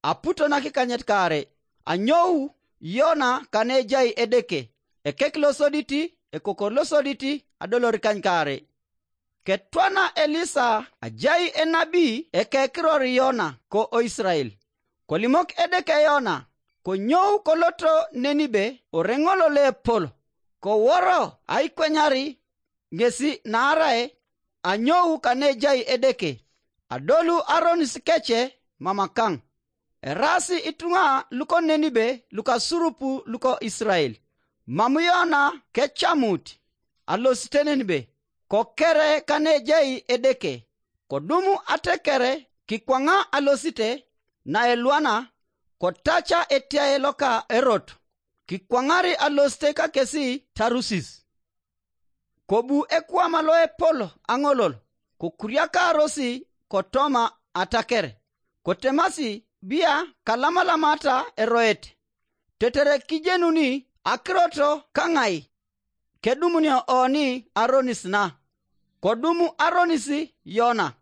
aputo na kikanyet kare anyou Yona kane jai edeke ekek losoditi ekoko losoditi adolor kany kare ketwana Elisa ajai enabi ekekiror Yona ko o Israel kolimok edeke Yona ko nyou koloto Nenibe orengolo le polo ko woro aikwenyari ngesi narae anyou kane jai edeke adolu Aron sikeche mamakang erasi itunga luko Nenibe luka surupu luko Israel mamuyona kechamuti alosite Nenibe ko kere kane jai edeke kodumu atekere kikwanga alosite na elwana kotacha etia eloka erot kikwangari alosite ka kesi Tarusis kobu ekwama loe polo angolol kokuriaka rosi kotoma atakere kotemasi bia kalamalamata eroete tetere kijenuni akroto kangai kedumunia oni Aronis na kodumu Aronisi Yona